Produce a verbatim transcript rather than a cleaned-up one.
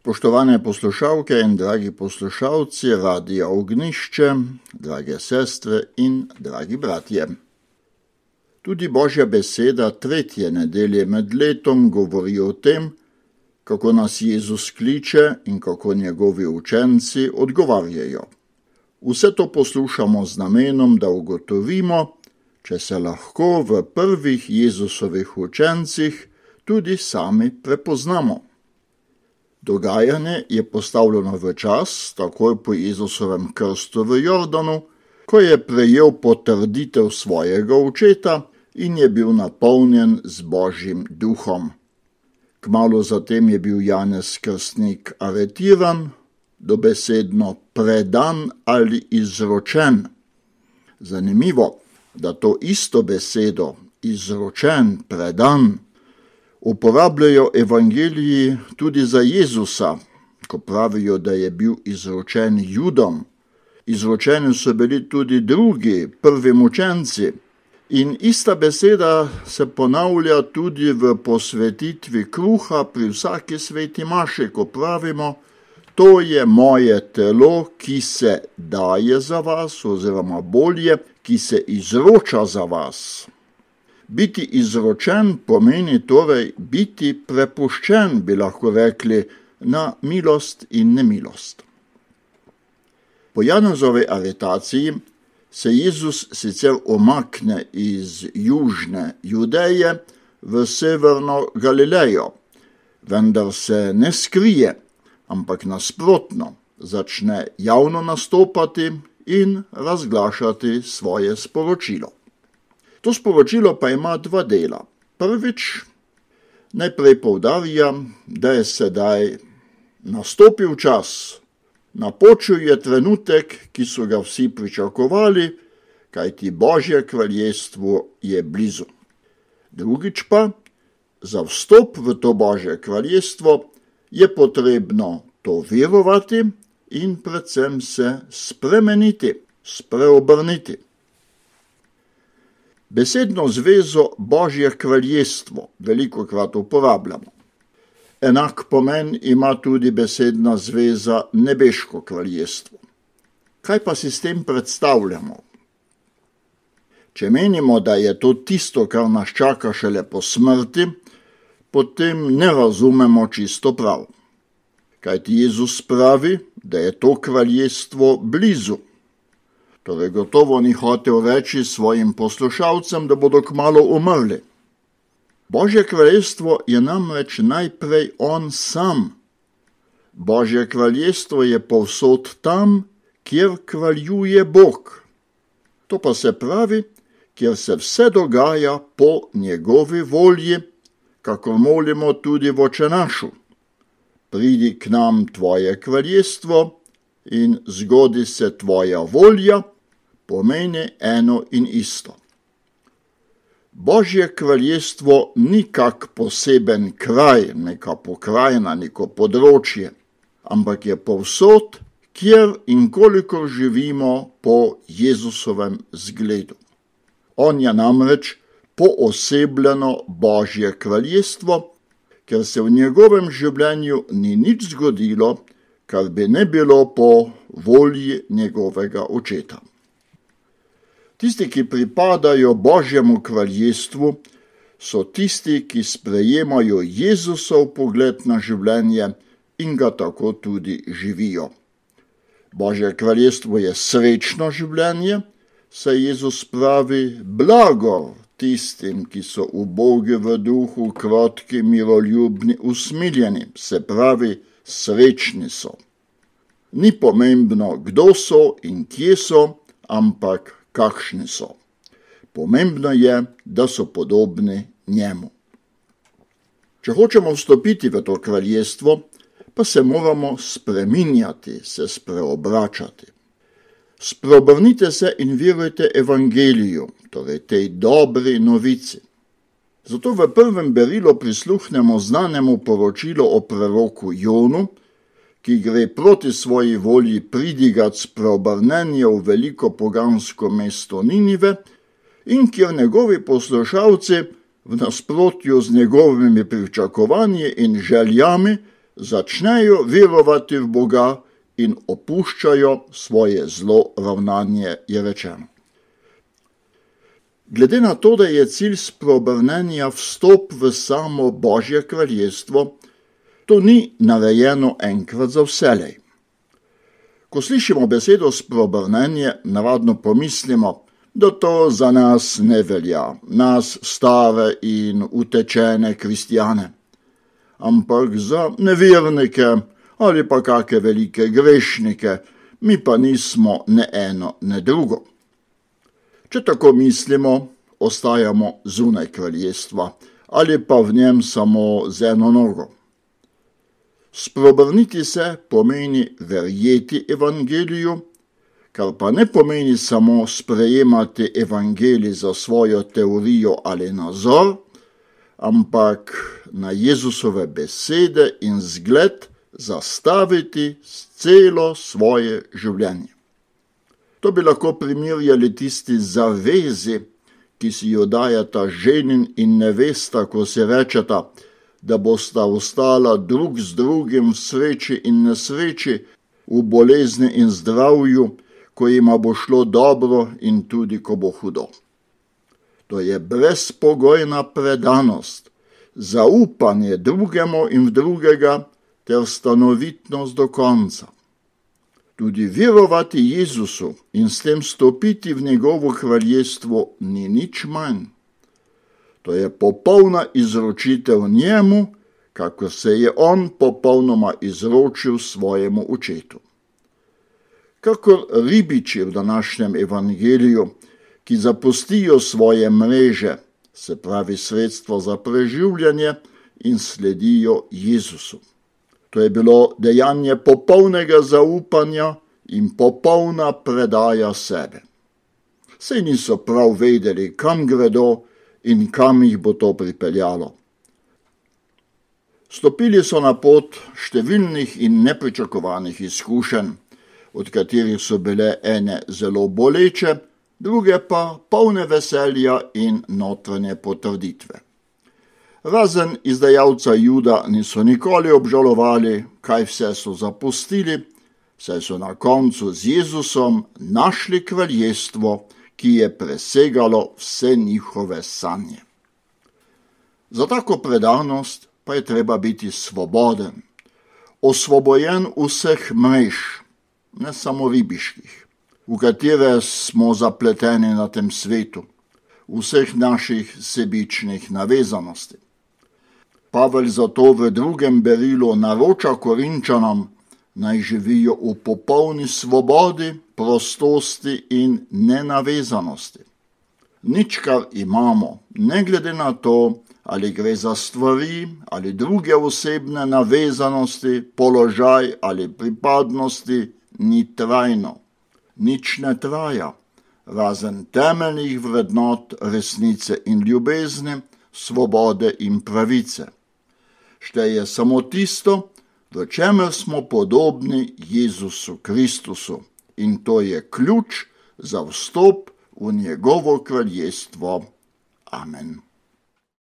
Poštovane poslušalke in dragi poslušalci Radia Ognišče, drage sestre in dragi bratje. Tudi Božja beseda tretje nedelje med letom govori o tem, kako nas Jezus kliče in kako njegovi učenci odgovarjajo. Vse to poslušamo z namenom, da ugotovimo, če se lahko v prvih Jezusovih učencih tudi sami prepoznamo. Dogajanje je postavljeno v čas, takoj po Jezusovem krstu v Jordanu, ko je prejel potrditev svojega očeta in je bil napolnjen z Božjim duhom. Kmalu zatem je bil Janez Krstnik aretiran, dobesedno predan ali izročen. Zanimivo, da to isto besedo, izročen, predan, uporabljajo evangeliji tudi za Jezusa, ko pravijo, da je bil izročen Judom. Izročeni so bili tudi drugi, prvi učenci. In ista beseda se ponavlja tudi v posvetitvi kruha pri vsaki sveti maši, ko pravimo, to je moje telo, ki se daje za vas, oziroma bolje, ki se izroča za vas. Biti izročen pomeni torej biti prepuščen, bi lahko rekli, na milost in nemilost. Po Janezovi aretaciji se Jezus sicer omakne iz južne Judeje v severno Galilejo, vendar se ne skrije, ampak nasprotno začne javno nastopati in razglašati svoje sporočilo. To sporočilo pa ima dva dela. Prvič, najprej poudarja, da je sedaj nastopil čas, napočil je trenutek, ki so ga vsi pričakovali, kajti Božje kraljestvo je blizu. Drugič pa, za vstop v to Božje kraljestvo je potrebno to verovati in predvsem se spremeniti, spreobrniti. Besedno zvezo Božje kraljestvo velikokrat uporabljamo. Enak pomen ima tudi besedna zveza nebeško kraljestvo. Kaj pa si s tem predstavljamo? Če menimo, da je to tisto, kar nas čaka šele po smrti, potem ne razumemo čisto prav. Kajti Jezus pravi, da je to kraljestvo blizu. Torej gotovo ni hotel reči svojim poslušalcem, da bodo kmalu umrli. Božje kraljestvo je namreč najprej on sam. Božje kraljestvo je povsod tam, kjer kraljuje Bog. To pa se pravi, kjer se vse dogaja po njegovi volji, kakor molimo tudi v Očenašu. Pridi k nam tvoje kraljestvo in zgodi se tvoja volja, pomeni eno in isto. Božje kraljestvo ni kak poseben kraj, neka pokrajina, neko področje, ampak je povsod, kjer in kolikor živimo po Jezusovem zgledu. On je namreč poosebljeno Božje kraljestvo, ker se v njegovem življenju ni nič zgodilo, kar bi ne bilo po volji njegovega očeta. Tisti, ki pripadajo Božjemu kraljestvu, so tisti, ki sprejemajo Jezusov pogled na življenje in ga tako tudi živijo. Božje kraljestvo je srečno življenje, saj Jezus pravi blago tistim, ki so ubogi v duhu, krotki, miroljubni, usmiljeni, se pravi srečni so. Ni pomembno, kdo so in kje so, ampak kakšni so. Pomembno je, da so podobni njemu. Če hočemo vstopiti v to kraljestvo, pa se moramo spreminjati, se spreobračati. Spreobrnite se in verujte evangeliju, torej tej dobri novici. Zato v prvem berilu prisluhnemo znanemu poročilu o preroku Jonu, ki gre proti svoji volji pridigat spreobrnenje v veliko pogansko mesto Ninive in kjer njegovi poslušalci v nasprotju z njegovimi pričakovanji in željami začnejo verovati v Boga in opuščajo svoje zlo ravnanje, je rečeno. Glede na to, da je cilj spreobrnenja vstop v samo Božje kraljestvo, to ni narejeno enkrat za vselej. Ko slišimo besedo spreobrnenje, navadno pomislimo, da to za nas ne velja, nas stare in utečene kristjane, ampak za nevernike ali pa kake velike grešnike, mi pa nismo ne eno, ne drugo. Če tako mislimo, ostajamo zunaj kraljestva ali pa v njem samo z eno nogo. Spreobrniti se pomeni verjeti evangeliju, kar pa ne pomeni samo sprejemati evangelij za svojo teorijo ali nazor, ampak na Jezusove besede in zgled zastaviti celo svoje življenje. To bi lahko primerjali tisti zavezi, ki si jo dajata ženin in nevesta, ko se rečeta, da bosta ostala drug z drugim v sreči in nesreči, v bolezni in zdravju, ko jima bo šlo dobro in tudi ko bo hudo. To je brezpogojna predanost, zaupanje drugemu in v drugega ter stanovitnost do konca. Tudi verovati Jezusu in s tem stopiti v njegovo kraljestvo ni nič manj. To je popolna izročitev njemu, kako se je on popolnoma izročil svojemu očetu. Kakor ribiči v današnjem evangeliju, ki zapustijo svoje mreže, se pravi sredstvo za preživljanje, in sledijo Jezusu. To je bilo dejanje popolnega zaupanja in popolna predaja sebe. Saj niso prav vedeli, kam gredo in kam jih bo to pripeljalo. Stopili so na pot številnih in nepričakovanih izkušenj, od katerih so bile ene zelo boleče, druge pa polne veselja in notranje potrditve. Razen izdajalca Juda niso nikoli obžalovali, kaj vse so zapustili, saj so na koncu z Jezusom našli kraljestvo, ki je presegalo vse njihove sanje. Za tako predanost pa je treba biti svoboden, osvobojen vseh mrež, ne samo ribiških, v katere smo zapleteni na tem svetu, vseh naših sebičnih navezanosti. Pavel zato v drugem berilu naroča Korinčanom, naj živijo v popolni svobodi, prostosti in nenavezanosti. Nič, kar imamo, ne glede na to, ali gre za stvari ali druge osebne navezanosti, položaj ali pripadnosti, ni trajno. Nič ne traja, razen temeljnih vrednot resnice in ljubezni, svobode in pravice. Šteje samo tisto, v čemer smo podobni Jezusu Kristusu, in to je ključ za vstop v njegovo kraljestvo. Amen.